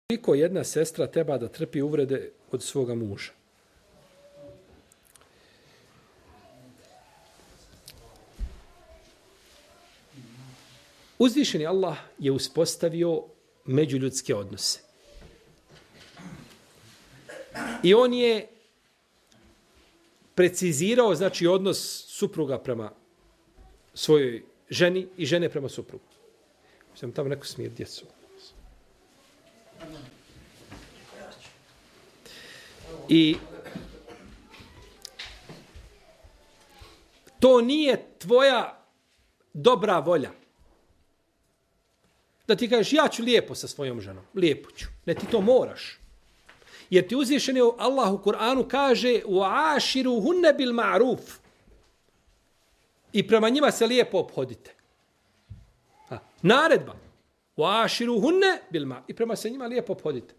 Koliko jedna sestra treba da trpi uvrede od svoga muža? Uzvišeni Allah je uspostavio međuljudske odnose. I on je precizirao, znači, odnos supruga prema svojoj ženi i žene prema suprugu. Sam tamo neko smije djecu. I to nije tvoja dobra volja. Da ti kažeš, ja ću lijepo sa svojom ženom. Lijepo ću. Ne, ti to moraš. Jer ti uzvišeni Allah u Kur'anu kaže وَعَاشِرُهُنَّ بِالْمَعْرُوفِ i prema njima se lijepo obhodite. Naredba. وَعَاشِرُهُنَّ بِالْمَعْرُوفِ i prema se njima lijepo obhodite.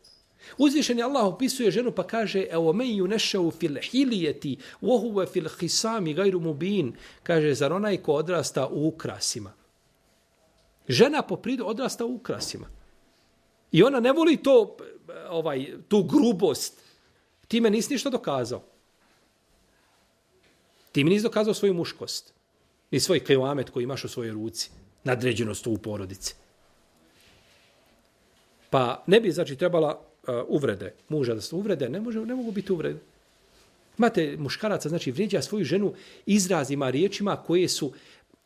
Uzvišeni Allah opisuje ženu pa kaže evo men yunashu fil hilyati wa huwa fil khisami ghayru mubin, kaže zar onaj ko odrasta u ukrasima. Žena po prirodi odrasta u ukrasima. I ona ne voli to tu grubost. Ti me nisi ništa dokazao. Ti mi nisi dokazao svoju muškost. Ni svoj kevamet koji imaš u svojoj ruci. Nadređenost u porodici. Pa ne bi, znači, trebala uvrede. Muža da se uvrede, ne mogu biti uvrede. Imate muškaraca, znači, vrijeđa svoju ženu izrazima, riječima koje su...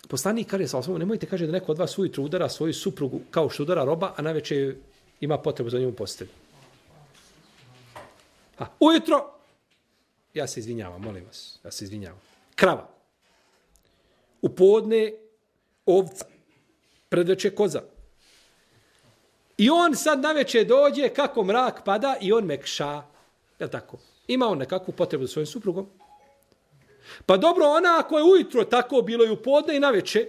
Poslanik kaže, nemojte, kaže, da neko od vas ujutru udara svoju suprugu kao što udara roba, a najveće ima potrebu za njom postelju. Ujutro, ja se izvinjavam, molim vas, ja se izvinjavam. Krava. U podne ovca. Predveče koza. I on sad naveče dođe, kako mrak pada i on mekša. Je li tako? Ima on nekakvu potrebu za svojim suprugom. Pa dobro, ona ako je ujutro tako bilo i u podne i naveče,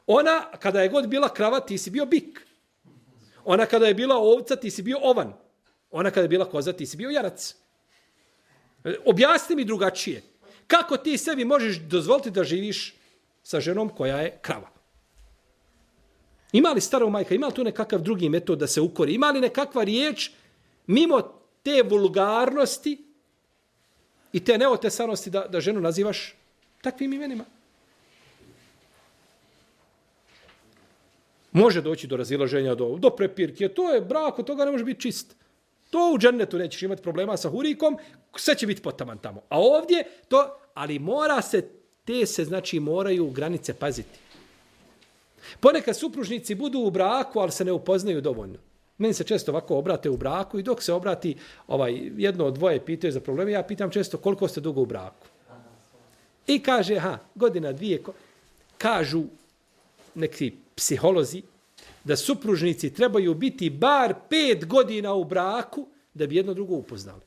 ona kada je god bila krava, ti si bio bik. Ona kada je bila ovca, ti si bio ovan. Ona kada je bila koza, ti si bio jarac. Objasni mi drugačije. Kako ti sebi možeš dozvoliti da živiš sa ženom koja je krava? Ima li stara majka, ima li tu nekakav drugi metod da se ukori? Ima li nekakva riječ mimo te vulgarnosti i te neotesanosti da ženu nazivaš takvim imenima? Može doći do razilaženja, do prepirke. To je brak, od toga ne može biti čist. To u džennetu nećeš imati problema sa hurikom, sve će biti potaman tamo. A ovdje to, ali mora se, znači moraju granice paziti. Ponekad supružnici budu u braku, ali se ne upoznaju dovoljno. Meni se često ovako obrate u braku i dok se obrati jedno od dvoje pitaju za probleme, ja pitam često koliko ste dugo u braku. I kaže, godina, dvije. Kažu neki psiholozi da supružnici trebaju biti bar 5 godina u braku da bi jedno drugo upoznali.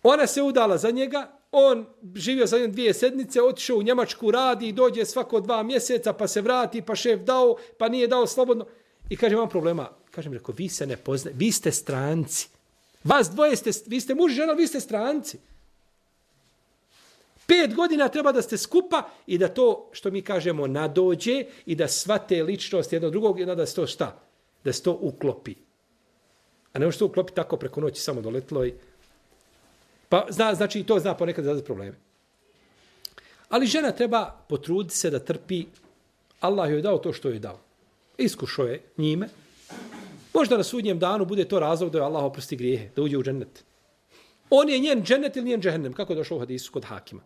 Ona se udala za njega, on živio za 2 sedmice, otišao u Njemačku, radi, dođe svako 2 mjeseca, pa se vrati, pa šef dao, pa nije dao slobodno. I kaže, imam problema. Kažem, reko, vi se ne poznajete, vi ste stranci. Vas dvoje ste, vi ste muž i žena, vi ste stranci. 5 godina treba da ste skupa i da to, što mi kažemo, nadođe i da shvate ličnost jednog drugog i da se to šta? Da se to uklopi. A ne može to uklopi tako preko noći samo doletlo i... Pa znači i to zna ponekad izazvati probleme. Ali žena treba potruditi se da trpi. Allah joj dao to što joj dao. Iskušao je njime. Možda na sudnjem danu bude to razlog da joj Allah oprosti grijehe, da uđe u džennet. On je njen džennet ili njen džehennem, kako je došlo u hadisu kod Hakima.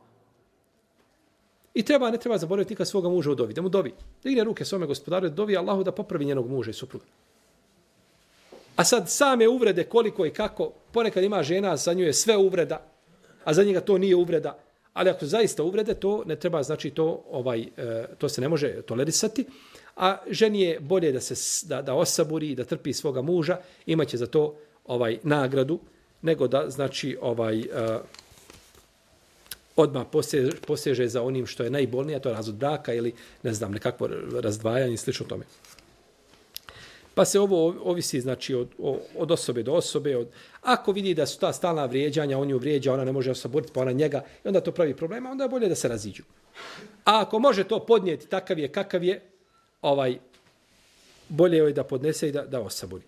I ne treba zaboraviti nikad svoga muža u dovi, da mu dovi. Da igne ruke svome gospodaru, da dovi Allahu da popravi njenog muža i supruga. A sad same uvrede koliko i kako, ponekad ima žena, za nju je sve uvreda, a za njega to nije uvreda. Ali ako zaista uvrede, to ne treba, znači to se ne može tolerisati. A ženi je bolje da osaburi i da trpi svoga muža, imaće za to nagradu, nego da, znači, odmah poseže za onim što je najbolnije, a to je razvod braka ili, ne znam, nekakvo razdvajanje i slično tome. Pa se ovo ovisi, znači, od osobe do osobe. Ako vidi da su ta stalna vrijeđanja, on ju vrijeđa, ona ne može osaboriti, pa ona njega, i onda to pravi problema, onda je bolje da se raziđu. A ako može to podnijeti takav je, kakav je, bolje je da podnese i da osabori.